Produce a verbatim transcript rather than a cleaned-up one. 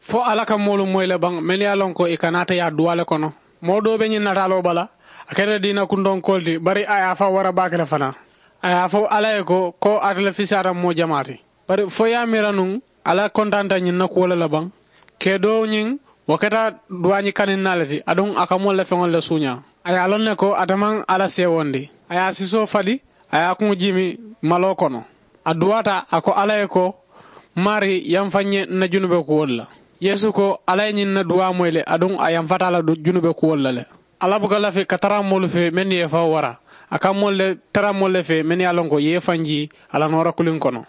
Fo alla ka moolu moyi le baŋ mennu ye a loŋ ko ì ka naata ye a duwaa le kono. Moo doo be ñiŋ nataaloo bala, a keta diina kuntoŋ koolu ti bari a ye a faa wara baake le fanaa. A ye a fo alla ye ko ko ate le fisaata moo jamaa ti. Bari fo ye a miira nuŋ, alla kontanta ñiŋ na kuwo le la baŋ? Kee doo ñiŋ, wo keta duwaañi kaniŋ naa le ti aduŋ a ka moolu la feŋolu le suuñaa. A ye a loŋ ne ko ate maŋ alla seewondi. A ye a sisoo fadi, a ye a kuŋo jiimi maloo kono. A duwaata a ko alla ye ko, maari yamfa n ye n na junube kuwolu la. Yeesu ko alla ye ñiŋ na duwaa moyi le aduŋ a yamfata a la junube kuwolu la le. Alla buka lafi ka tara moolu fee mennu ye i faŋo wara. A ka moolu le tara moolu le fee mennu ye a loŋ ko i ye i faŋ jii a la noora kuliŋ kono.